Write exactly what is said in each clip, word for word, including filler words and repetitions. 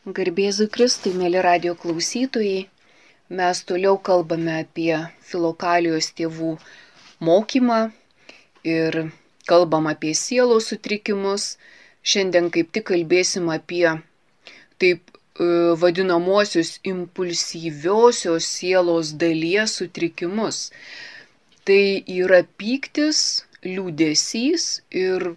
Garbėzui Kristui, mėly radio klausytojai, mes toliau kalbame apie Filokalijos tėvų mokymą ir kalbam apie sielos sutrikimus. Šiandien kaip tik kalbėsim apie taip e, vadinamuosius impulsyviosios sielos dalies sutrikimus. Tai yra pyktis, liūdesys ir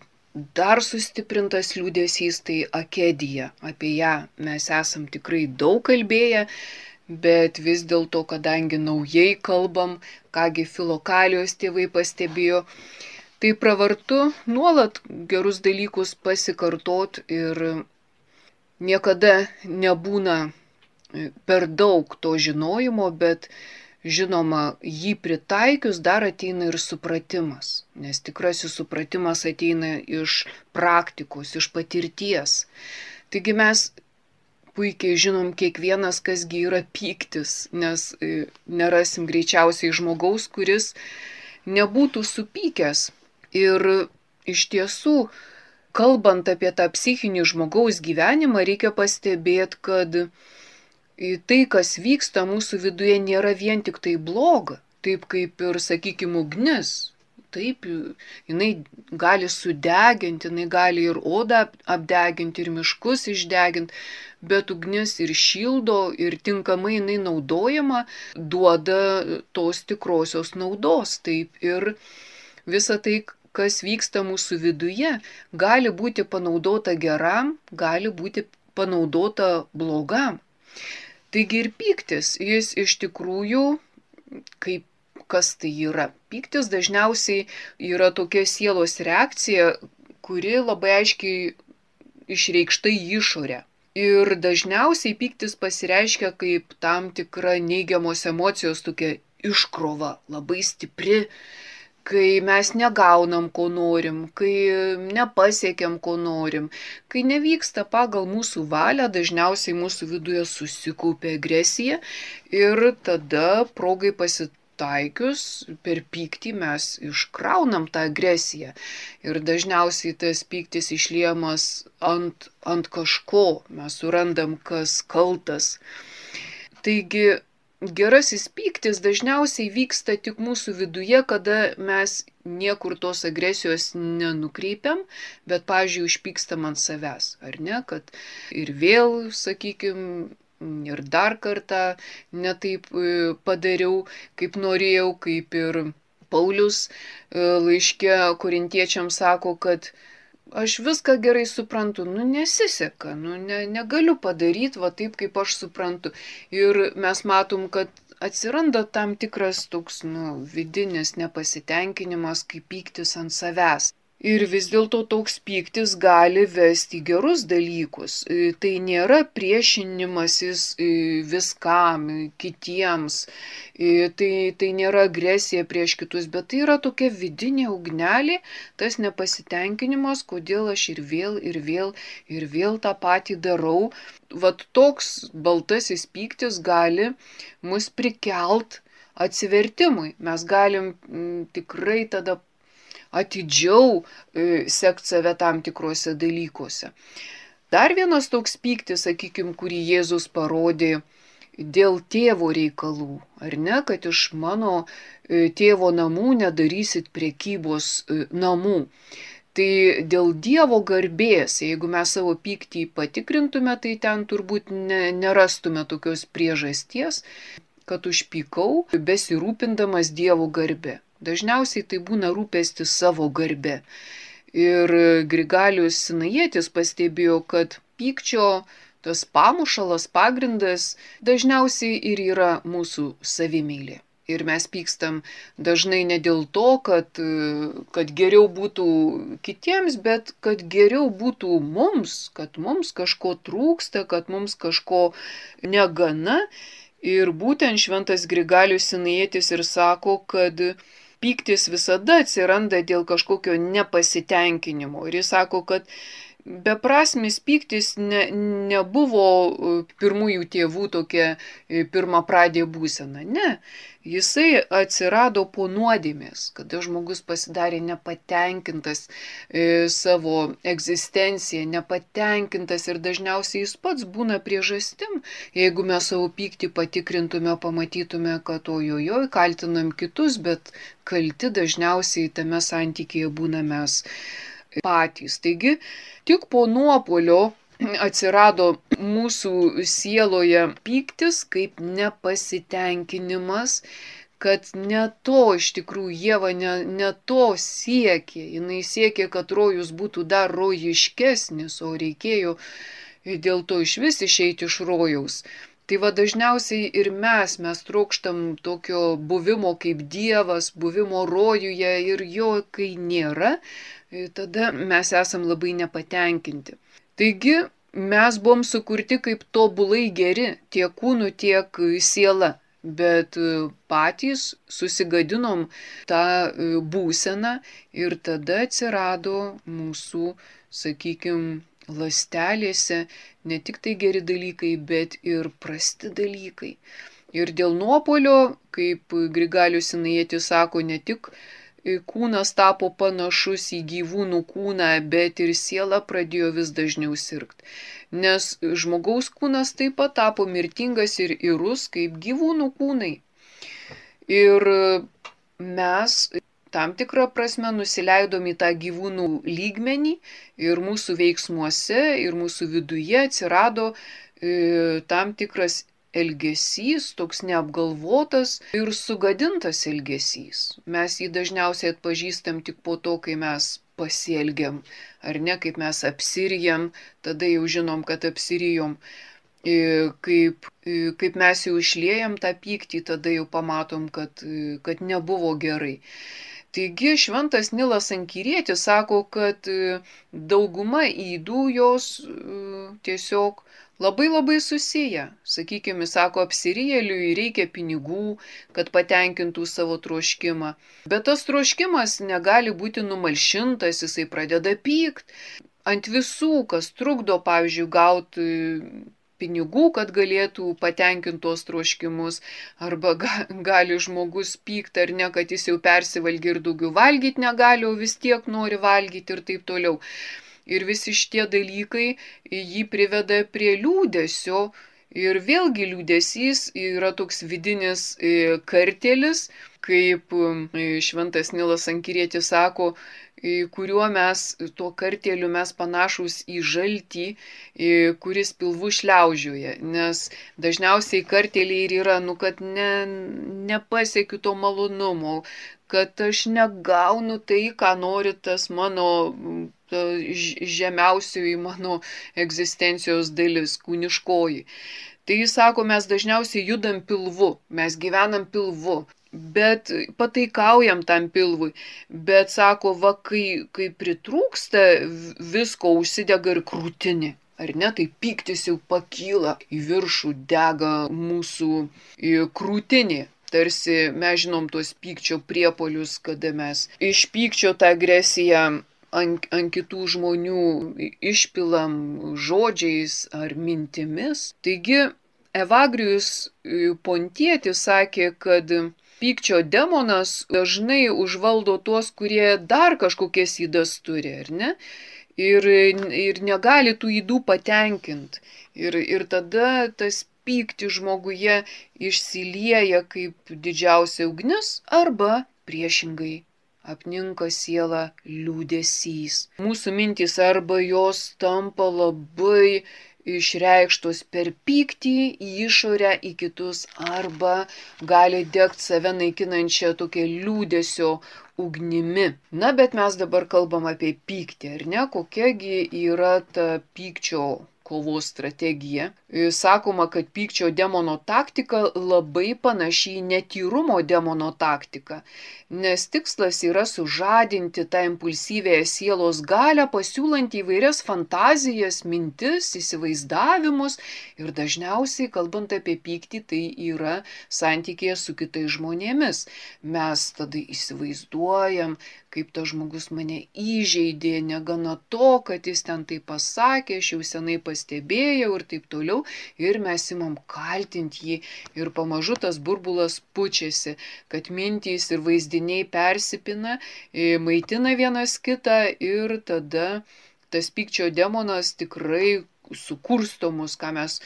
dar sustiprintas liūdesys, tai akedija. Apie ją mes esam tikrai daug kalbėję, bet vis dėlto, kadangi naujai kalbam, kągi Filokalijos tėvai pastebėjo, tai pravartu nuolat gerus dalykus pasikartot ir niekada nebūna per daug to žinojimo, bet žinoma, jį pritaikius dar ateina ir supratimas, nes tikrasis supratimas ateina iš praktikos, iš patirties. Taigi mes puikiai žinom kiekvienas, kasgi yra pyktis, nes nerasim greičiausiai žmogaus, kuris nebūtų supykęs. Ir iš tiesų, kalbant apie tą psichinį žmogaus gyvenimą, reikia pastebėti, kad tai, kas vyksta mūsų viduje, nėra vien tik tai bloga, taip kaip ir, sakykime, ugnis. Taip, jinai gali sudeginti, jinai gali ir odą apdeginti, ir miškus išdeginti, bet ugnis ir šildo, ir tinkamai jinai naudojama, duoda tos tikrosios naudos. Taip, ir visa tai, kas vyksta mūsų viduje, gali būti panaudota geram, gali būti panaudota blogam. Taigi ir pyktis, jis iš tikrųjų, kaip kas tai yra? Pyktis dažniausiai yra tokia sielos reakcija, kuri labai aiškiai išreikšta į išorę. Ir dažniausiai pyktis pasireiškia kaip tam tikra neigiamos emocijos tokia iškrova, labai stipri, kai mes negaunam, ko norim, kai nepasiekiam, ko norim, kai nevyksta pagal mūsų valią, dažniausiai mūsų viduje susikaupia agresija ir tada progai pasitaikius per pyktį mes iškraunam tą agresiją. Ir dažniausiai tas pyktis išliejamas ant, ant kažko, mes surandam, kas kaltas. Taigi, gerasis pyktis dažniausiai vyksta tik mūsų viduje, kada mes niekur tos agresijos nenukreipiam, bet, pavyzdžiui, užpykstam ant savęs, ar ne, kad ir vėl, sakykime, ir dar kartą netaip padariau, kaip norėjau, kaip ir Paulius laiške korintiečiams sako, kad aš viską gerai suprantu, nu nesiseka, nu ne, negaliu padaryti va taip, kaip aš suprantu. Ir mes matom, kad atsiranda tam tikras toks, nu, vidinis nepasitenkinimas, kaip pyktis ant savęs. Ir vis dėlto toks pyktis gali vesti į gerus dalykus. Tai nėra priešinimasis viskam, kitiems, tai, tai nėra agresija prieš kitus, bet tai yra tokia vidinė ugnelė, tas nepasitenkinimas, kodėl aš ir vėl, ir vėl, ir vėl tą patį darau. Vat toks baltasis pyktis gali mus prikelt atsivertimui. Mes galim m, tikrai tada atidžiau e, sekti save tam tikrose dalykuose. Dar vienas toks pyktis, sakykime, kurį Jėzus parodė dėl tėvo reikalų, ar ne, kad iš mano e, tėvo namų nedarysit prekybos e, namų. Tai dėl Dievo garbės, jeigu mes savo pyktį patikrintume, tai ten turbūt ne, nerastume tokios priežasties, kad užpykau, besirūpindamas Dievo garbė. Dažniausiai tai būna rūpestis savo garbe. Ir Grigalius Sinajietis pastebėjo, kad pykčio tas pamušalas, pagrindas dažniausiai ir yra mūsų savimeilė. Ir mes pykstam dažnai ne dėl to, kad, kad geriau būtų kitiems, bet kad geriau būtų mums, kad mums kažko trūksta, kad mums kažko negana. Ir būtent šventas Grigalius Sinajietis ir sako, kad pyktis visada atsiranda dėl kažkokio nepasitenkinimo. Ir jis sako, kad beprasmis pyktis ne, nebuvo pirmųjų tėvų tokia pirmapradė būsena. Ne, jisai atsirado po nuodėmės, kada žmogus pasidarė nepatenkintas e, savo egzistenciją, nepatenkintas ir dažniausiai jis pats būna priežastim. Jeigu mes savo pyktį patikrintume, pamatytume, kad ojojoj, kaltinam kitus, bet kalti dažniausiai tame santykyje būna mes patys. Taigi, tik po nuopuolio atsirado mūsų sieloje pyktis kaip nepasitenkinimas, kad ne to iš tikrųjų Ieva ne, ne to siekė. Jinai siekė, kad rojus būtų dar rojiškesnis, o reikėjo dėl to iš vis išeiti iš rojaus. Tai va dažniausiai ir mes, mes trokštam tokio buvimo kaip Dievas, buvimo rojuje ir jo, kai nėra, tada mes esam labai nepatenkinti. Taigi mes buvom sukurti kaip tobulai geri, tiek kūnu, tiek siela, bet patys susigadinom tą būseną ir tada atsirado mūsų, sakykime, ląstelėse ne tik tai geri dalykai, bet ir prasti dalykai. Ir dėl nuopuolio, kaip Grigalius Sinaitis sako, ne tik kūnas tapo panašus į gyvūnų kūną, bet ir siela pradėjo vis dažniau sirgti. Nes žmogaus kūnas taip pat tapo mirtingas ir irus kaip gyvūnų kūnai. Ir mes tam tikrą prasme nusileidom į tą gyvūnų lygmenį ir mūsų veiksmuose, ir mūsų viduje atsirado e, tam tikras elgesys, toks neapgalvotas ir sugadintas elgesys. Mes jį dažniausiai atpažįstam tik po to, kai mes pasielgiam, ar ne, kaip mes apsirijam, tada jau žinom, kad apsirijom. Kaip, kaip mes jau išliejam tą pyktį, tada jau pamatom, kad, kad nebuvo gerai. Taigi šventas Nilas Ankirietis sako, kad dauguma ydų jos tiesiog labai labai susiję. Sakykime, sako, apsirijėliui reikia pinigų, kad patenkintų savo troškimą. Bet tas troškimas negali būti numalšintas, jisai pradeda pykt ant visų, kas trukdo, pavyzdžiui, gauti pinigų, kad galėtų patenkinti tos troškimus, arba ga, gali žmogus pykti ar ne, kad jis jau persivalgė ir daugiau valgyti negali, o vis tiek nori valgyti ir taip toliau. Ir visi šitie dalykai jį priveda prie liūdesio ir vėlgi liūdesys yra toks vidinis kartėlis, kaip šventas Nilas Ankirietis sako, kuriuo mes, tuo kartėliu mes panašus į žaltį, kuris pilvu šliaužioja, nes dažniausiai kartėliai ir yra, nu, kad ne, nepasiekiu to malonumo, kad aš negaunu tai, ką nori tas mano žemiausioji mano egzistencijos dalis, kūniškoji. Tai jis sako, mes dažniausiai judam pilvu, mes gyvenam pilvu. Bet pataikaujam tam pilvui, bet sako, va, kai, kai pritrūksta visko, užsidega ir krūtinė, ar ne, tai pyktis jau pakyla į viršų, dega mūsų krūtinė. Tarsi mes žinom tuos pykčio priepolius, kada mes iš pykčio tą agresiją ant, ant kitų žmonių išpilam žodžiais ar mintimis. Taigi Evagrijus Pontietis sakė, kad pykčio demonas dažnai užvaldo tuos, kurie dar kažkokias ydas turi, ar ne? Ir, ir negali tų ydų patenkinti. Ir, ir tada tas pykti žmoguje išsilieja kaip didžiausia ugnis arba priešingai apninka sielą liūdesys. Mūsų mintys arba jos tampa labai išreikštos per pyktį į išorę, į kitus, arba gali degti save naikinančią tokią liūdesio ugnimi. Na, bet mes dabar kalbam apie pyktį, ar ne? Kokiagi yra ta pykčio kovos strategija. Sakoma, kad pykčio demono taktika labai panaši į netyrumo demono taktiką, nes tikslas yra sužadinti tą impulsyvėją sielos galią, pasiūlant įvairias fantazijas, mintis, įsivaizdavimus ir dažniausiai, kalbant apie pyktį, tai yra santykėje su kitais žmonėmis. Mes tada įsivaizduojam, kaip tas žmogus mane įžeidė, negana to, kad jis ten tai pasakė, aš jau senai pastebėjau ir taip toliau. Ir mes imam kaltinti jį ir pamažu tas burbulas pučiasi, kad mintys ir vaizdiniai persipina, maitina vienas kitą ir tada tas pykčio demonas tikrai sukursto mus, ką mes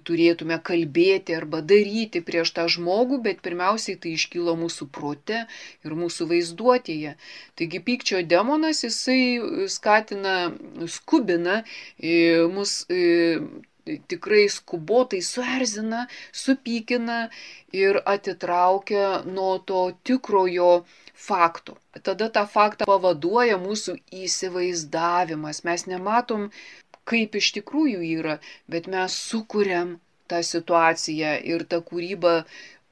turėtume kalbėti arba daryti prieš tą žmogų, bet pirmiausiai tai iškyla mūsų prote ir mūsų vaizduotėje. Taigi pykčio demonas, jisai skatina, skubina mus, tikrai skubotai suerzina, supykina ir atitraukia nuo to tikrojo fakto. Tada tą faktą pavaduoja mūsų įsivaizdavimas. Mes nematom, kaip iš tikrųjų yra, bet mes sukuriam tą situaciją ir ta kūryba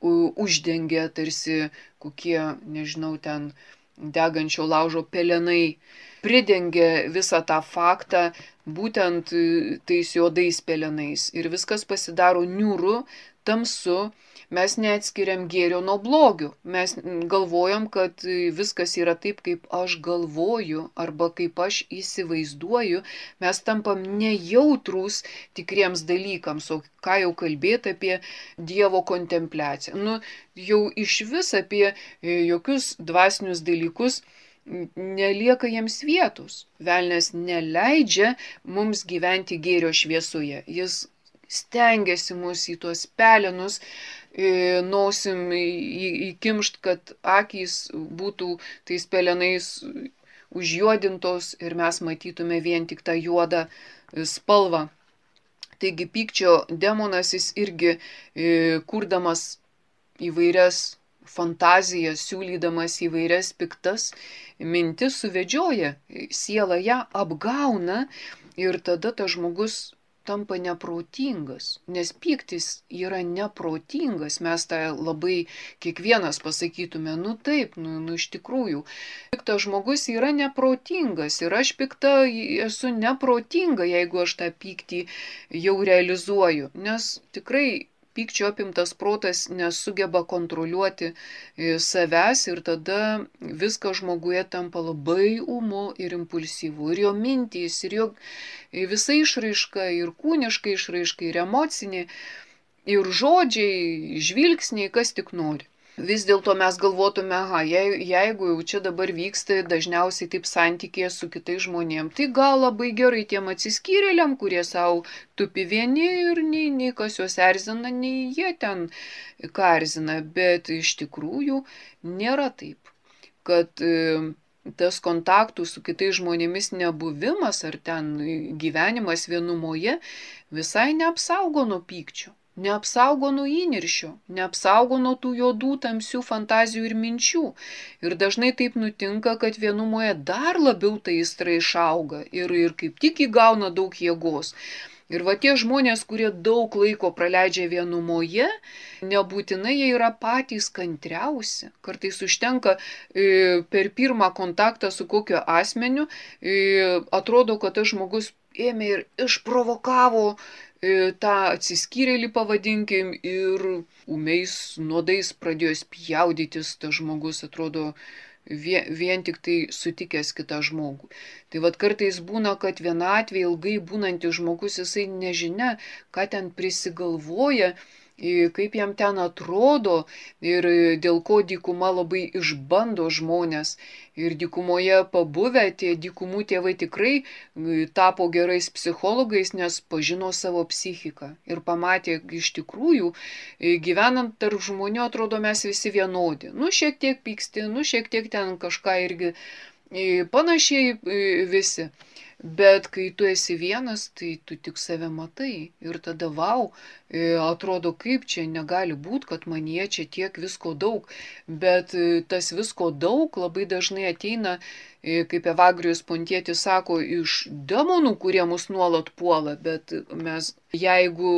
uždengia tarsi kokie, nežinau, ten degančio laužo pelenai, pridengia visą tą faktą būtent tais juodais pelenais ir viskas pasidaro niūru, tamsu. Mes neatskiriam gėrio nuo blogių. Mes galvojam, kad viskas yra taip, kaip aš galvoju arba kaip aš įsivaizduoju. Mes tampam nejautrūs tikriems dalykams, o ką jau kalbėti apie Dievo kontempliaciją. Nu, jau iš vis apie jokius dvasinius dalykus nelieka jiems vietos. Velnias neleidžia mums gyventi gėrio šviesoje. Jis stengiasi mus į tuos pelenus nosim įkimšt, kad akys būtų tais pelenais užjuodintos ir mes matytume vien tik tą juodą spalvą. Taigi pykčio demonas, jis irgi kurdamas įvairias fantazijas, siūlydamas įvairias piktas mintis, suvedžioja sielą, ją apgauna ir tada tas žmogus tampa neprotingas, nes pyktis yra neprotingas, mes tą labai kiekvienas pasakytume, nu taip, nu, nu iš tikrųjų, piktas žmogus yra neprotingas ir aš pikta esu neprotinga, jeigu aš tą pyktį jau realizuoju, nes tikrai pykčio apimtas protas nesugeba kontroliuoti savęs ir tada viskas žmoguje tampa labai ūmu ir impulsyvu. Ir jo mintys, ir jo visa išraiška, ir kūniška išraiška, ir emocinė, ir žodžiai, žvilgsniai, kas tik nori. Vis dėlto mes galvotume, aha, jeigu jau čia dabar vyksta dažniausiai taip santykėje su kitais žmonėm, tai gal labai gerai tiem atsiskyrėliam, kurie savo tupi vieni ir nei, nei kas juos erzina, nei jie ten ką erzina, bet iš tikrųjų nėra taip, kad tas kontaktų su kitais žmonėmis nebuvimas ar ten gyvenimas vienumoje visai neapsaugo nuo pykčio. Neapsaugo nuo įniršio, neapsaugo nuo tų juodų, tamsių fantazijų ir minčių. Ir dažnai taip nutinka, kad vienumoje dar labiau ta aistra išauga ir, ir kaip tik įgauna daug jėgos. Ir va tie žmonės, kurie daug laiko praleidžia vienumoje, nebūtinai jie yra patys kantriausi. Kartais užtenka e, per pirmą kontaktą su kokiu asmeniu, e, atrodo, kad tas žmogus ėmė ir išprovokavo tą atsiskyrėlį, pavadinkim, ir ūmiais nuodais pradėjo spjaudytis tas žmogus, atrodo, vien, vien tik tai sutikęs kitą žmogų. Tai vad kartais būna, kad vienatvėje ilgai būnantis žmogus, jisai nežinia, ką ten prisigalvoja, kaip jam ten atrodo ir dėl ko dykuma labai išbando žmonės. Ir dykumoje pabuvę tie dykumų tėvai tikrai tapo gerais psichologais, nes pažino savo psichiką. Ir pamatė, iš tikrųjų, gyvenant tarp žmonių, atrodo, mes visi vienodi. Nu, šiek tiek pyksti, nu, šiek tiek ten kažką irgi panašiai visi. Bet kai tu esi vienas, tai tu tik save matai ir tada vau, atrodo, kaip čia negali būti, kad manyje čia tiek visko daug, bet tas visko daug labai dažnai ateina, kaip Evagrijus Pontietis sako, iš demonų, kurie mus nuolat puola, bet mes, jeigu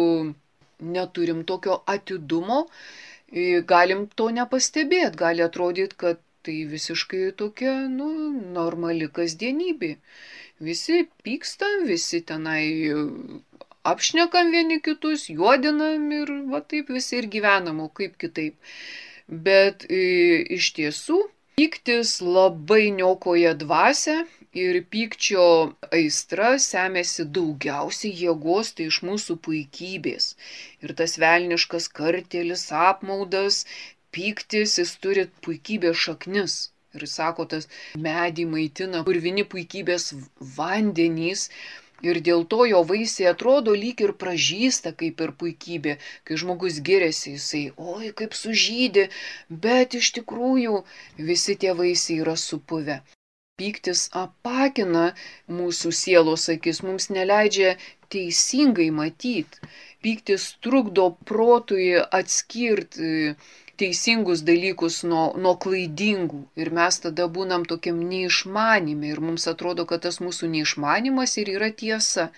neturim tokio atidumo, galim to nepastebėti, gali atrodyti, kad tai visiškai tokia, nu, normali kasdienybė. Visi pykstam, visi tenai apšnekam vieni kitus, juodinam ir va taip visi ir gyvenam, o kaip kitaip. Bet e, iš tiesų Pyktis labai niokoja dvasią ir pykčio aistra semiasi daugiausiai jėgos tai iš mūsų puikybės. Ir tas velniškas kartėlis, apmaudas, pyktis, jis turi puikybės šaknis. Ir sako, tas medį maitina purvini puikybės vandenys. Ir dėl to jo vaisiai atrodo lyg ir pražysta kaip ir puikybė. Kai žmogus giriasi, jisai, oi, kaip sužydė, bet iš tikrųjų visi tie vaisiai yra supuvę. Pyktis apakina mūsų sielos akis, mums neleidžia teisingai matyti. Pyktis trukdo protui atskirti teisingus dalykus nuo, nuo klaidingų. Ir mes tada būnam tokiam neišmanime ir mums atrodo, kad tas mūsų neišmanimas ir yra tiesa.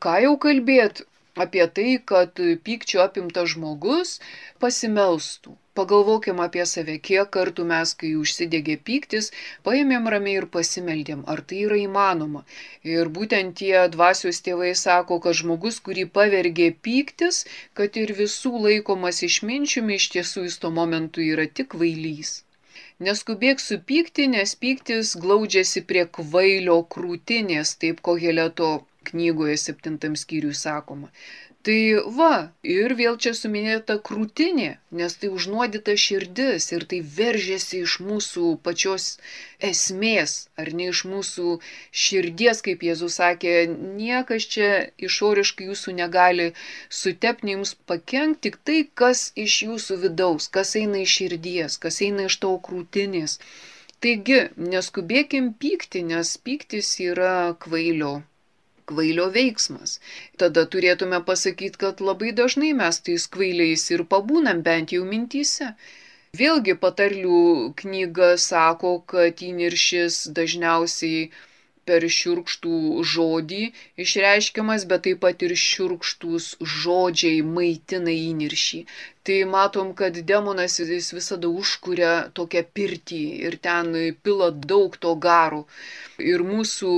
Ką jau kalbėt apie tai, kad pykčio apimtas žmogus pasimelstų. Pagalvokim apie save, kiek kartų mes, kai užsidegė pyktis, paėmėm ramiai ir pasimeldėm, ar tai yra įmanoma. Ir būtent tie dvasios tėvai sako, kad žmogus, kurį pavergė pyktis, kad ir visų laikomas išminčiumi, iš tiesų jis tuo momentu yra tik kvailys. Neskubėk supykti, nes pyktis glaudžiasi prie kvailio krūtinės, taip Koheleto knygoje septintam skyriui sakoma. Tai va, ir vėl čia suminėta krūtinė, nes tai užnuodyta širdis ir tai veržiasi iš mūsų pačios esmės, ar ne iš mūsų širdies, kaip Jėzus sakė, niekas čia išoriškai jūsų negali sutepti, jums pakenkti, tik tai, kas iš jūsų vidaus, kas eina iš širdies, kas eina iš tavo krūtinės. Taigi, neskubėkim pykti, nes pyktis yra kvailio. Kvailio veiksmas. Tada turėtume pasakyti, kad labai dažnai mes tais kvailiais ir pabūnam bent jau mintyse. Vėlgi patarlių knyga sako, kad įniršis dažniausiai per šiurkštų žodį išreiškiamas, bet taip pat ir šiurkštūs žodžiai maitina įniršį. Tai matom, kad demonas jis visada užkuria tokią pirtį ir ten pila daug to garo. Ir mūsų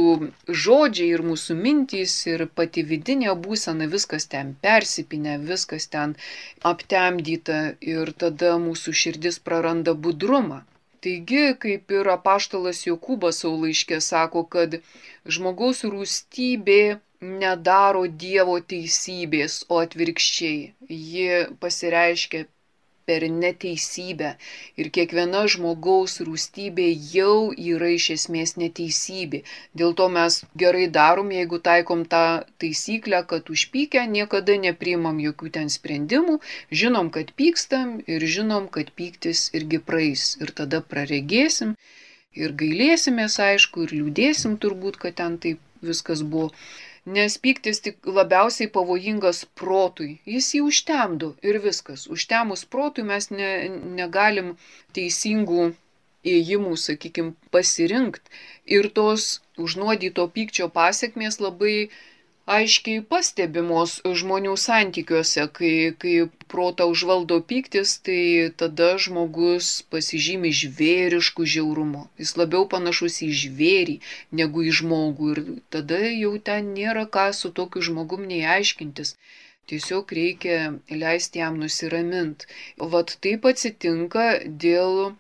žodžiai, ir mūsų mintys, ir pati vidinė būsena, viskas ten persipinę, viskas ten aptemdyta ir tada mūsų širdis praranda budrumą. Taigi, kaip ir apaštalas Jokūbas savo laiške sako, kad žmogaus rūstybė nedaro Dievo teisybės, o atvirkščiai. Ji pasireiškia per neteisybę ir kiekviena žmogaus rūstybė jau yra iš esmės neteisybė. Dėl to mes gerai darom, jeigu taikom tą taisyklę, kad užpykę niekada nepriimam jokių ten sprendimų, žinom, kad pykstam ir žinom, kad pyktis irgi praeis ir tada praregėsim ir gailėsimės, aišku, ir liūdėsim turbūt, kad ten taip viskas buvo. Nes pyktis tik labiausiai pavojingas protui. Jis jį užtemdo ir viskas. Užtemus protui mes ne, negalim teisingų ėjimų, sakykime, pasirinkti. Ir tos užnuodyto pykčio pasiekmės labai aiškiai pastebimos žmonių santykiuose. Kai, kai protą užvaldo pyktis, tai tada žmogus pasižymi žvėrišku žiaurumu. Jis labiau panašus į žvėrį negu į žmogų ir tada jau ten nėra ką su tokiu žmogum nei aiškintis. Tiesiog reikia leisti jam nusiraminti. Vat taip atsitinka dėl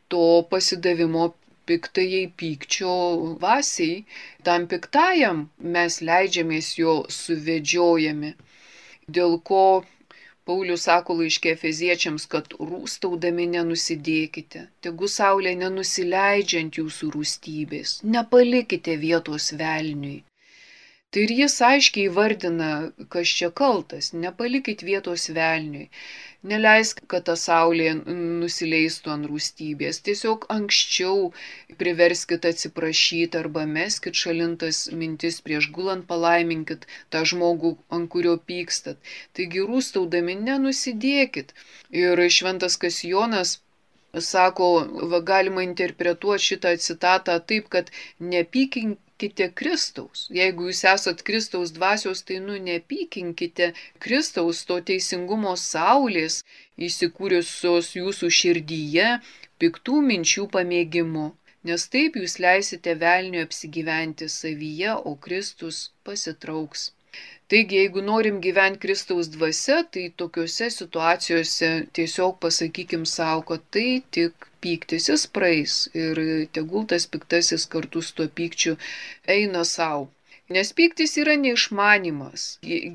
to pasidavimo piktajai pykčio dvasiai, tam piktajam mes leidžiamės jo suvedžiojami. Dėl ko Paulius sako laiške Efeziečiams, kad rūstaudami nenusidėkite, tegu saulė nenusileidžiant jūsų rūstybės, nepalikite vietos velniui. Tai ir jis aiškiai įvardina, kas čia kaltas, nepalikit vietos velniui. Neleisk, kad ta saulė nusileistų ant rūstybės. Tiesiog anksčiau priverskit atsiprašyti arba meskit šalintas mintis prieš gulant, palaiminkit tą žmogų, ant kurio pykstat. Taigi rūstaudami nenusidėkit. Ir šventas Kasijonas sako, va, galima interpretuoti šitą citatą taip, kad nepykinkite Kristaus. Jeigu jūs esat Kristaus dvasios, tai nu nepykinkite Kristaus, to teisingumo saulės, įsikūrusios jūsų širdyje, piktų minčių pamėgimu. Nes taip jūs leisite velniui apsigyventi savyje, o Kristus pasitrauks. Taigi, jeigu norim gyventi Kristaus dvasia, tai tokiuose situacijose tiesiog pasakykim savo, kad tai tik pyktis, jis praeis ir tegul tas piktasis kartu su tuo pykčiu eina savo. Nes pyktis yra neišmanimas.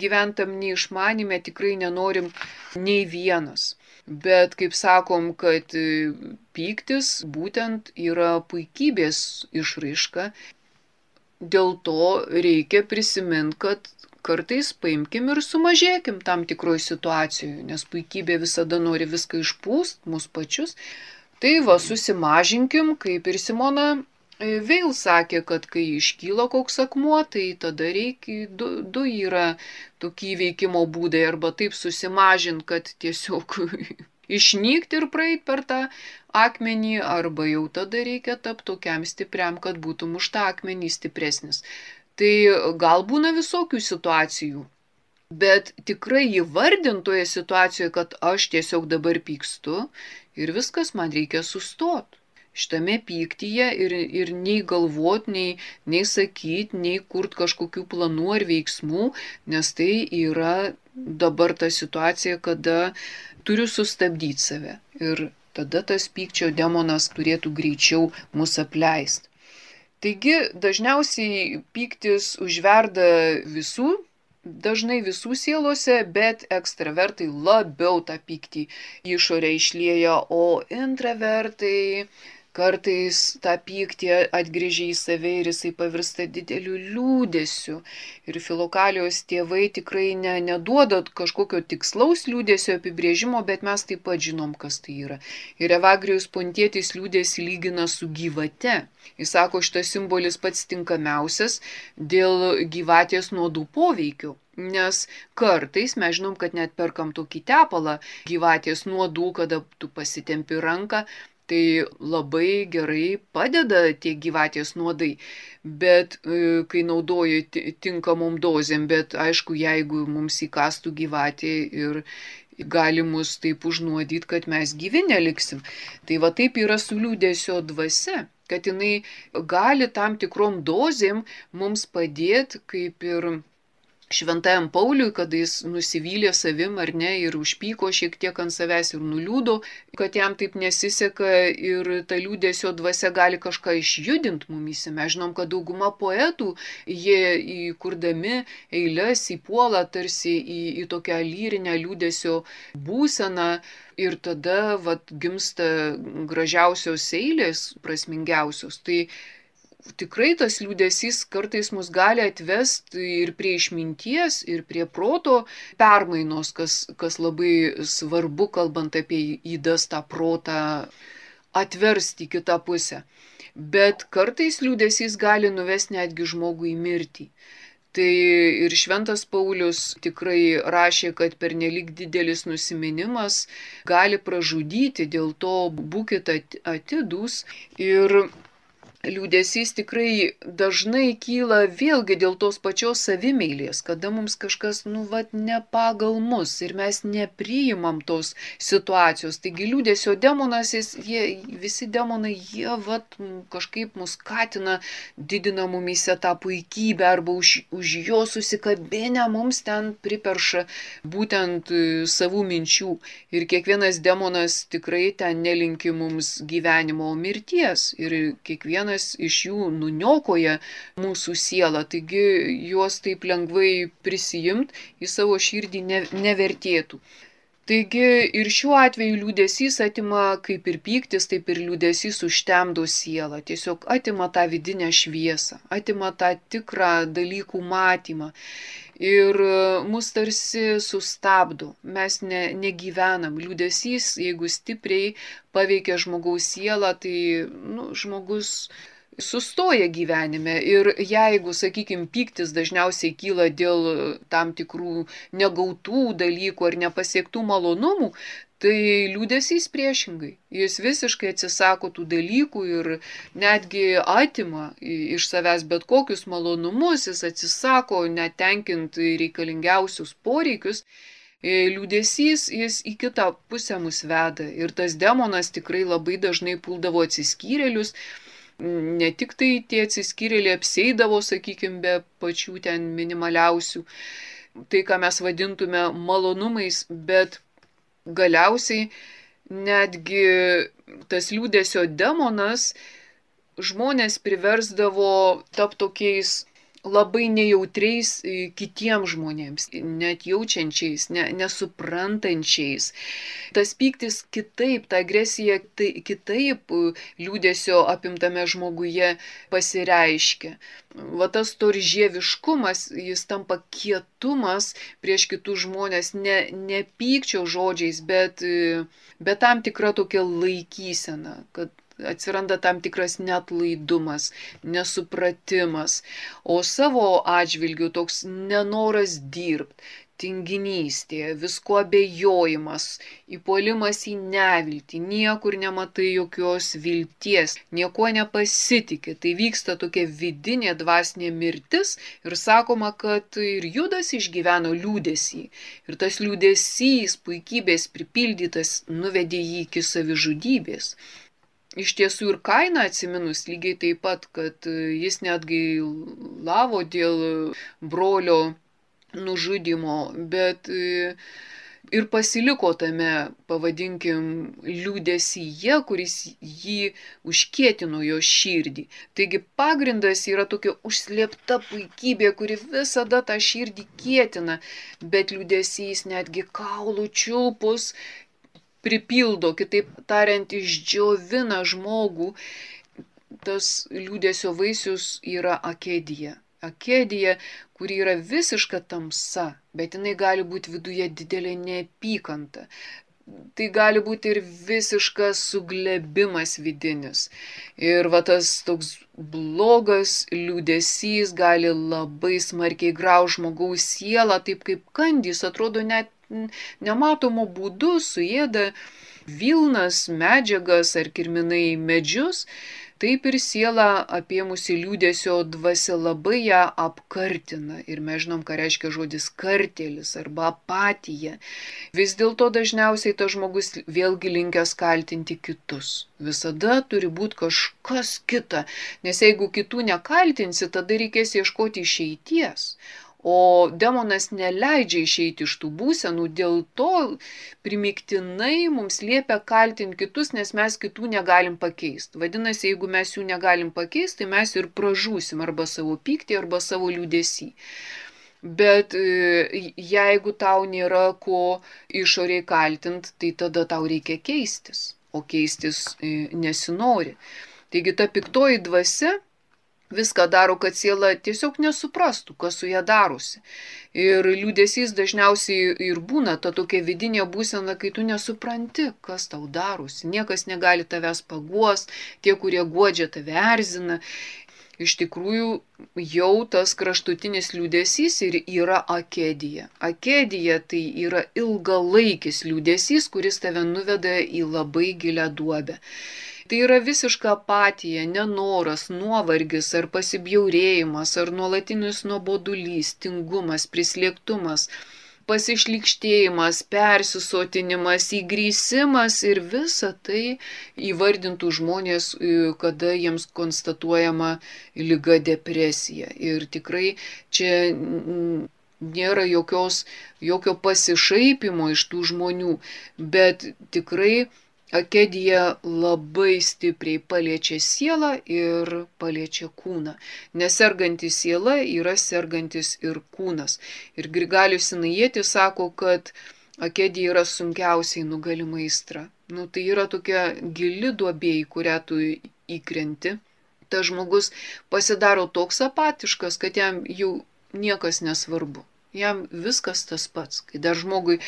Gyventam neišmanime tikrai nenorim nei vienas. Bet kaip sakom, kad pyktis būtent yra puikybės išraiška, dėl to reikia prisiminti, kad kartais paimkim ir sumažėkim tam tikroj situacijoje, nes puikybė visada nori viską išpūst, mus pačius. Tai va, susimažinkim, kaip ir Simona Veil sakė, kad kai iškyla koks akmuo, tai tada reikia, du, du yra tokie veikimo būdai, arba taip susimažinti, kad tiesiog išnykti ir praeit per tą akmenį, arba jau tada reikia tapti tokiam stipriam, kad būtum už tą akmenį stipresnis. Tai gal būna visokių situacijų, bet tikrai įvardintoje situacijoje, kad aš tiesiog dabar pykstu ir viskas, man reikia sustoti. Šitame pyktyje ir, ir nei galvot, nei, nei sakyt, nei kurt kažkokių planų ar veiksmų, nes tai yra dabar ta situacija, kada turiu sustabdyti save. Ir tada tas pykčio demonas turėtų greičiau mus apleisti. Taigi dažniausiai pyktis užverda visų, dažnai visų sielose, bet ekstravertai labiau tą pyktį išorę išlieja, o intravertai kartais tą pyktį atgrįžia į save ir jisai pavirsta dideliu liūdesiu. Ir Filokalijos tėvai tikrai ne, neduoda kažkokio tikslaus liūdesio apibrėžimo, bet mes taip pat žinom, kas tai yra. Ir Evagrijus Pontietis liūdesį lygina su gyvate. Jis sako, šitas simbolis pats tinkamiausias dėl gyvatės nuodų poveikių. Nes kartais mes žinom, kad net perkam tokį tepalą gyvatės nuodų, kada tu pasitempi ranką, tai labai gerai padeda tie gyvatės nuodai, bet kai naudoju tinkamom dozėm, bet aišku, jeigu mums įkastų gyvatė ir gali mus taip užnuodyti, kad mes gyvi neliksim. Tai va taip yra su liūdesio dvasia, kad jinai gali tam tikrom dozėm mums padėti, kaip ir Šventajam Pauliui, kada jis nusivylė savim ar ne ir užpyko šiek tiek ant savęs ir nuliūdo, kad jam taip nesiseka ir ta liūdesio dvasia gali kažką išjudinti mumyse. Mes žinom, kad dauguma poetų, jie įkurdami eiles įpuola tarsi į, į tokią lyrinę liūdesio būseną ir tada vat, gimsta gražiausios eilės, prasmingiausios. Tai tikrai tas liūdesys kartais mus gali atvesti ir prie išminties, ir prie proto permainos, kas, kas labai svarbu, kalbant apie ydas tą protą atversti į kitą pusę. Bet kartais liūdesys gali nuvesti netgi žmogų į mirtį. Tai ir Šventas Paulius tikrai rašė, kad pernelyg didelis nusiminimas gali pražudyti, dėl to būkite atidūs. Ir liūdesys tikrai dažnai kyla vėlgi dėl tos pačios savimeilės, kada mums kažkas, nu, vat, ne pagal mus ir mes nepriimam tos situacijos. Taigi liūdesio demonas, jis, jie, visi demonai, jie vat, kažkaip mus skatina, didina mumyse tą puikybę arba už, už jo susikabinę mums ten priperša būtent savų minčių. Ir kiekvienas demonas tikrai ten nelinki mums gyvenimo mirties ir kiekvienas iš jų nuniokoja mūsų sielą, taigi juos taip lengvai prisijimt į savo širdį ne, nevertėtų. Taigi ir šiuo atveju liūdesys atima, kaip ir pyktis, taip ir liūdesys užtemdo sielą, tiesiog atima tą vidinę šviesą, atima tą tikrą dalykų matymą. Ir mus tarsi sustabdo, mes ne, negyvenam. Liūdesys, jeigu stipriai paveikia žmogaus sielą, tai nu, žmogus sustoja gyvenime. Ir jeigu, sakykime, pyktis dažniausiai kyla dėl tam tikrų negautų dalykų ar nepasiektų malonumų, tai liūdesys priešingai. Jis visiškai atsisako tų dalykų ir netgi atima iš savęs bet kokius malonumus, jis atsisako netenkinti reikalingiausius poreikius. Liūdesys jis į kitą pusę mus veda ir tas demonas tikrai labai dažnai puldavo atsiskyrėlius. Ne tik tai tie atsiskyrėliai apseidavo, sakykime, be pačių ten minimaliausių, tai ką mes vadintume malonumais, bet galiausiai netgi tas liūdesio demonas žmonės priversdavo tapti tokiais labai nejautriais kitiems žmonėms, net jaučiančiais, ne, nesuprantančiais. Tas pyktis kitaip, ta agresija tai, kitaip liūdesio apimtame žmoguje pasireiškia. Va tas storžieviškumas, jis tampa kietumas prieš kitus žmonės, ne, ne pykčio žodžiais, bet, bet tam tikra tokia laikysena, kad atsiranda tam tikras neatlaidumas, nesupratimas, o savo atžvilgiu toks nenoras dirbti, tinginystė, visko abejojimas, įpuolimas į neviltį, niekur nematai jokios vilties, nieko nepasitikė. Tai vyksta tokia vidinė dvasinė mirtis ir sakoma, kad ir Judas išgyveno liūdesį. Ir tas liūdesys, puikybės pripildytas, nuvedė jį iki savižudybės. Iš tiesų ir Kainą atsiminus lygiai taip pat, kad jis netgi lavo dėl brolio nužudymo, bet ir pasiliko tame, pavadinkim, liūdesyje, kuris jį užkietino jo širdį. Taigi pagrindas yra tokia užslėpta puikybė, kuri visada tą širdį kietina, bet liūdesys netgi kaulų čiulpus pripildo, kitaip tariant, išdžiovina žmogų. Tas liūdesio vaisius yra akedija. Akedija, kuri yra visiška tamsa, bet jinai gali būti viduje didelė neapykanta. Tai gali būti ir visiškas suglebimas vidinis. Ir va tas toks blogas liūdesys gali labai smarkiai graužti žmogaus sielą, taip kaip kandys, atrodo net nematomo būdu suėda vilnas, medžiagas ar kirminai medžius, taip ir siela apėmusi liūdesio dvasia labai ją apkartina. Ir mes žinom, ką reiškia žodis kartėlis arba apatija. Vis dėlto dažniausiai tas žmogus vėlgi linkęs kaltinti kitus. Visada turi būti kažkas kita, nes jeigu kitų nekaltinsi, tada reikės ieškoti išeities. O demonas neleidžia išeiti iš tų būsenų, dėl to primiktinai mums liepia kaltinti kitus, nes mes kitų negalim pakeisti. Vadinasi, jeigu mes jų negalim pakeisti, tai mes ir pražūsim arba savo pyktį, arba savo liūdesį. Bet jeigu tau nėra ko išoriai kaltinti, tai tada tau reikia keistis, o keistis nesinori. Taigi ta piktoji dvasia viską daro, kad siela tiesiog nesuprastų, kas su ją darosi. Ir liūdesys dažniausiai ir būna ta tokia vidinė būsena, kai tu nesupranti, kas tau darosi. Niekas negali tavęs paguosti, tie, kurie guodžia, tave erzina. Iš tikrųjų, jau tas kraštutinis liūdesys ir yra akedija. Akedija tai yra ilgalaikis liūdesys, kuris tave nuveda į labai gilią duobę. Tai yra visiška apatija, nenoras, nuovargis ar pasibjaurėjimas, ar nuolatinis nuobodulys, tingumas, prislėgtumas, pasišlykštėjimas, persisotinimas, įgrįsimas ir visa tai įvardintų žmonės, kada jiems konstatuojama liga depresija. Ir tikrai čia nėra jokios, jokio pasišaipimo iš tų žmonių, bet tikrai akedija labai stipriai paliečia sielą ir paliečia kūną. Nes serganti siela yra sergantis ir kūnas. Ir Grigalius Sinajietis sako, kad akedija yra sunkiausiai nugalima aistra. Nu, tai yra tokia gili duobė, į kurią tu įkrenti. Tas žmogus pasidaro toks apatiškas, kad jam jau niekas nesvarbu. Jam viskas tas pats. Kai dar žmogui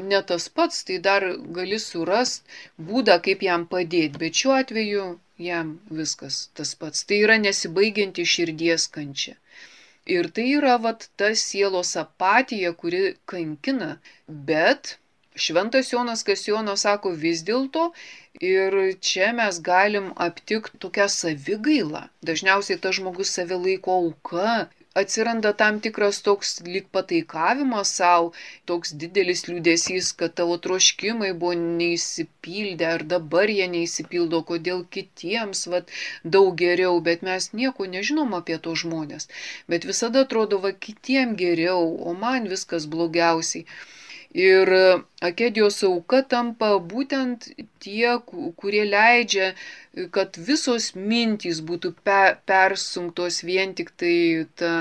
ne tas pats, tai dar gali surasti būdą, kaip jam padėti. Bet šiuo atveju jam viskas tas pats. Tai yra nesibaigianti širdies kančia. Ir tai yra vat ta sielos apatija, kuri kankina. Bet Šventas Jonas Kasionas sako vis dėlto, ir čia mes galim aptikti tokią savigailą. Dažniausiai tas žmogus save laiko auka. Atsiranda tam tikras toks lyg pataikavimas savo, toks didelis liūdesys, kad tavo troškimai buvo neįsipildę, ar dabar jie neįsipildo, kodėl kitiems vat, daug geriau, bet mes nieko nežinom apie to žmonės. Bet visada atrodo, va kitiem geriau, o man viskas blogiausiai. Ir akedijos auka tampa būtent tie, kurie leidžia, kad visos mintys būtų pe, persunktos vien tik tai ta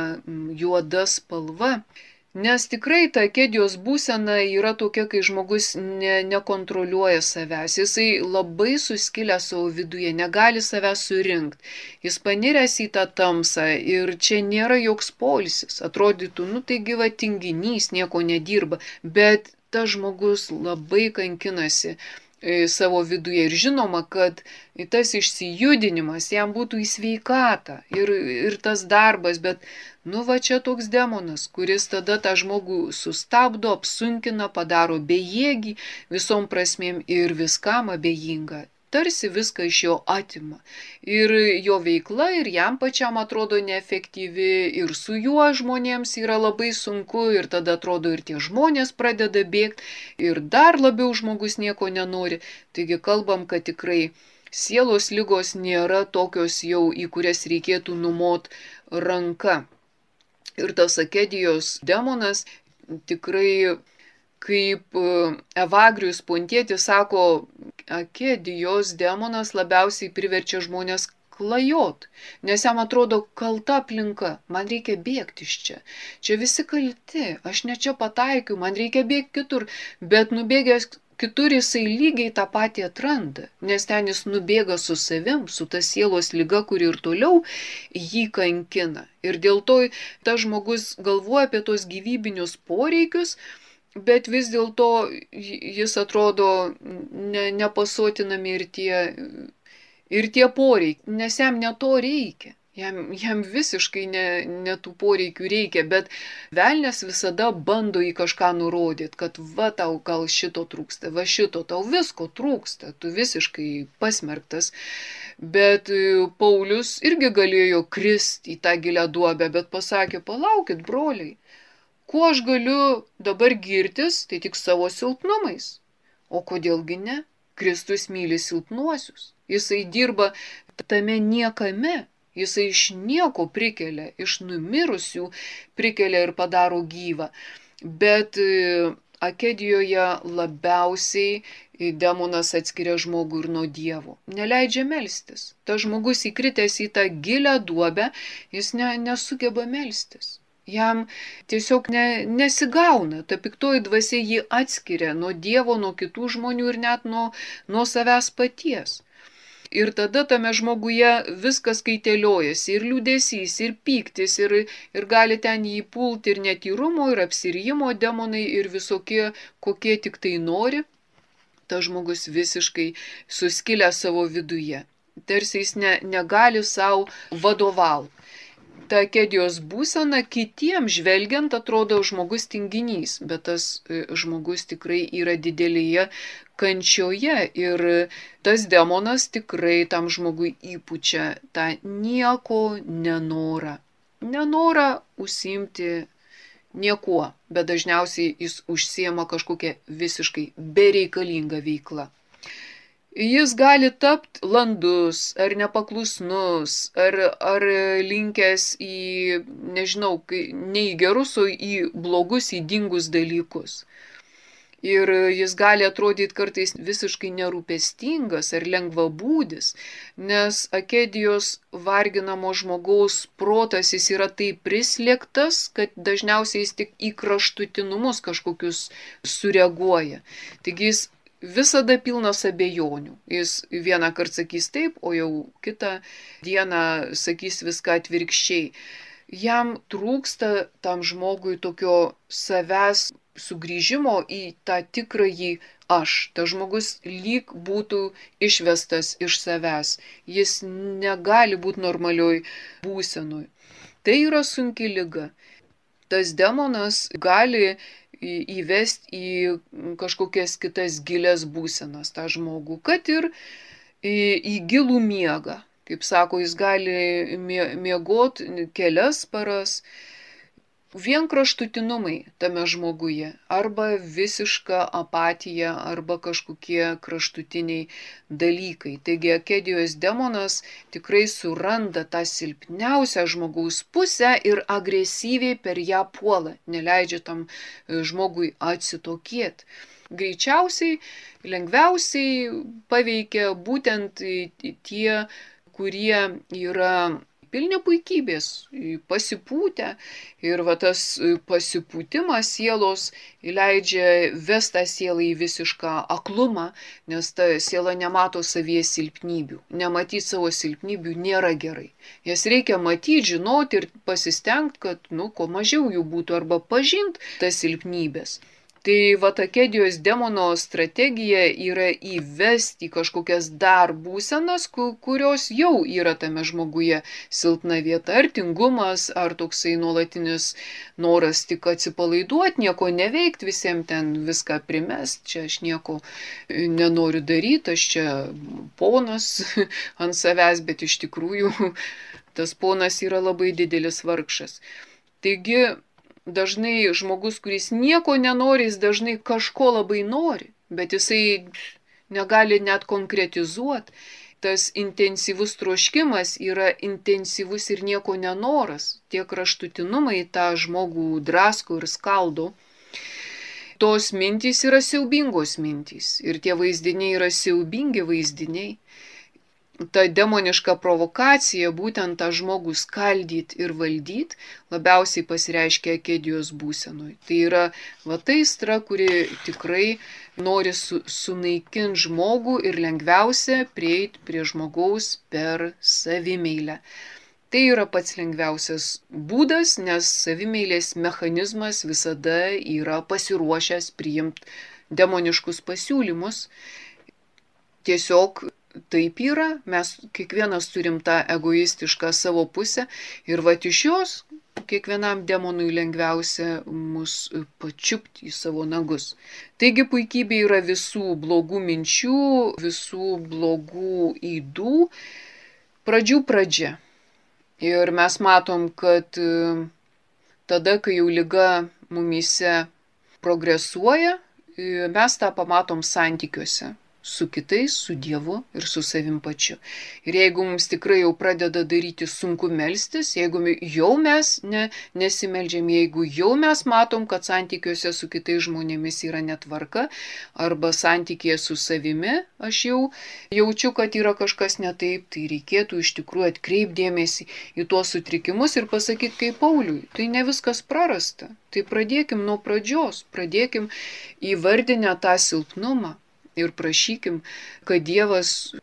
juoda spalva. Nes tikrai ta akedijos būsena yra tokia, kai žmogus ne, nekontroliuoja savęs. Jisai labai suskilęs savo viduje, negali savęs surinkti. Jis paniręs į tą tamsą ir čia nėra joks poilsis. Atrodytų, nu taigi va tinginys, nieko nedirba. Bet tas žmogus labai kankinasi savo viduje. Ir žinoma, kad tas išsijudinimas jam būtų į sveikatą ir, ir tas darbas, bet nu va čia toks demonas, kuris tada tą žmogų sustabdo, apsunkina, padaro bejėgį visom prasmėm ir viskam abejingą. Tarsi viską iš jo atima. Ir jo veikla ir jam pačiam atrodo neefektyvi, ir su juo žmonėms yra labai sunku, ir tada atrodo ir tie žmonės pradeda bėgti, ir dar labiau žmogus nieko nenori. Taigi kalbam, kad tikrai sielos ligos nėra tokios jau, į kurias reikėtų numot ranka. Ir tas akedijos demonas tikrai, kaip Evagrijus Pontietis sako, akedijos demonas labiausiai priverčia žmonės klajot, nes jam atrodo kalta aplinka, man reikia bėgti iš čia. Čia visi kalti, aš ne čia pataikiu, man reikia bėgti kitur, bet nubėgęs kitur jisai lygiai tą patį atranda, nes ten jis nubėga su savim, su ta sielos liga, kuri ir toliau jį kankina. Ir dėl to tas žmogus galvoja apie tos gyvybinius poreikius, bet vis dėlto jis atrodo ne, nepasotinami ir tie, ir tie poreikiai, nes jam ne to reikia. Jam, jam visiškai ne, ne tų poreikių reikia, bet velnias visada bando į kažką nurodyti, kad va tau gal šito trūksta, va šito tau visko trūksta, tu visiškai pasmerktas. Bet Paulius irgi galėjo kristi į tą gilią duobę, bet pasakė, palaukit, broliai, kuo aš galiu dabar girtis, tai tik savo silpnumais. O kodėlgi ne? Kristus myli silpnuosius. Jisai dirba tame niekame. Jisai iš nieko prikelia, iš numirusių prikelia ir padaro gyvą. Bet akedijoje labiausiai demonas atskiria žmogų ir nuo Dievo. Neleidžia melstis. Tas žmogus įkritęs į tą gilią duobę, jis ne, nesugeba melstis. Jam tiesiog ne, nesigauna, ta piktoji dvasia jį atskiria nuo Dievo, nuo kitų žmonių ir net nuo, nuo savęs paties. Ir tada tame žmoguje viskas kaiteliojasi, ir liūdesys, ir pyktis, ir, ir gali ten jį pulti ir netyrumo, ir apsirijimo demonai, ir visokie, kokie tik tai nori. Tas žmogus visiškai suskilę savo viduje. Tarsi jis ne, negali savo vadovauti. Ta akedijos būsena kitiems žvelgiant atrodo žmogus tinginys, bet tas žmogus tikrai yra didelėje kančioje ir tas demonas tikrai tam žmogui įpučia tą nieko nenorą. Nenorą užsiimti niekuo, bet dažniausiai jis užsiema kažkokią visiškai bereikalingą veiklą. Jis gali tapti landus, ar nepaklusnus, ar, ar linkęs į, nežinau, ne į gerus, o į blogus, ydingus dalykus. Ir jis gali atrodyti kartais visiškai nerūpestingas ar lengvabūdis, nes akedijos varginamo žmogaus protas jis yra taip prislėgtas, kad dažniausiai jis tik į kraštutinumus kažkokius sureaguoja. Taigi jis visada pilnas abejonių. Jis vieną kartą sakys taip, o jau kitą dieną sakys viską atvirkščiai. Jam trūksta tam žmogui tokio savęs sugrįžimo į tą tikrąjį aš. Tas žmogus lyg būtų išvestas iš savęs. Jis negali būti normalioj būsenoj. Tai yra sunki liga. Tas demonas gali įvesti į kažkokias kitas gilias būsenas tą žmogų, kad ir į, į gilų miegą. Kaip sako, jis gali miegoti kelias paras, vien kraštutinumai tame žmoguje, arba visiška apatija, arba kažkokie kraštutiniai dalykai. Taigi akedijos demonas tikrai suranda tą silpniausią žmogaus pusę ir agresyviai per ją puola, neleidžia tam žmogui atsitokėti. Greičiausiai, lengviausiai paveikia būtent tie, kurie yra pilni puikybės, pasipūtę, ir va tas pasipūtimas sielos leidžia vestą sielą į visišką aklumą, nes ta siela nemato savyje silpnybių. Nematyti savo silpnybių nėra gerai. Jas reikia matyti, žinoti ir pasistengti, kad, nu, kuo mažiau jų būtų, arba pažinti tas silpnybės. Tai va akedijos demono strategija yra įvesti kažkokias dar būsenas, kurios jau yra tame žmoguje silpna vieta, ar tingumas, ar toksai nuolatinis noras tik atsipalaiduoti, nieko neveikti, visiems ten viską primest, čia aš nieko nenoriu daryti, aš čia ponas ant savęs, bet iš tikrųjų tas ponas yra labai didelis vargšas. Taigi, dažnai žmogus, kuris nieko nenori, jis dažnai kažko labai nori, bet jisai negali net konkretizuoti. Tas intensyvus troškimas yra intensyvus ir nieko nenoras. Tie kraštutinumai tą žmogų drasko ir skaldo. Tos mintys yra siaubingos mintys ir tie vaizdiniai yra siaubingi vaizdiniai. Ta demoniška provokacija, būtent tą žmogų skaldyti ir valdyti, labiausiai pasireiškia akedijos būsenui. Tai yra va ta aistra, kuri tikrai nori su, sunaikinti žmogų ir lengviausia prieiti prie žmogaus per savimeilę. Tai yra pats lengviausias būdas, nes savimeilės mechanizmas visada yra pasiruošęs priimti demoniškus pasiūlymus. Tiesiog taip yra, mes kiekvienas turim tą egoistišką savo pusę ir vat iš jos kiekvienam demonui lengviausia mus pačiupti į savo nagus. Taigi puikybė yra visų blogų minčių, visų blogų ydų pradžių pradžia. Ir mes matom, kad tada, kai jau liga mumyse progresuoja, mes tą pamatom santykiuose su kitais, su Dievu ir su savim pačiu. Ir jeigu mums tikrai jau pradeda daryti sunku melstis, jeigu jau mes ne, nesimeldžiam, jeigu jau mes matom, kad santykiuose su kitais žmonėmis yra netvarka, arba santykėje su savimi, aš jau jaučiu, kad yra kažkas ne taip, tai reikėtų iš tikrųjų atkreipdėmėsi į tuos sutrikimus ir pasakyti kaip Pauliui, tai ne viskas prarasta. Tai pradėkim nuo pradžios, pradėkim įvardinę tą silpnumą. Ir prašykim, kad Dievas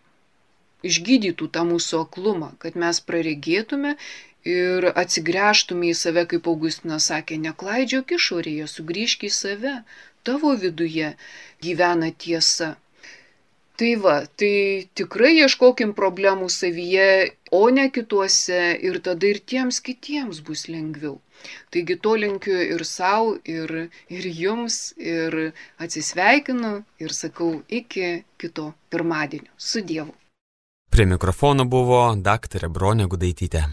išgydytų tą mūsų aklumą, kad mes praregėtume ir atsigręžtume į save, kaip Augustinas sakė, neklaidžiok išorėje, sugrįžk į save, tavo viduje gyvena tiesa. Tai va, tai tikrai ieškokim problemų savyje, o ne kituose, ir tada ir tiems kitiems bus lengviau. Taigi to linkiu ir savo, ir, ir jums, ir atsisveikinu ir sakau iki kito pirmadienio. Su Dievu. Prie mikrofono buvo daktarė Bronė Gudaitytė.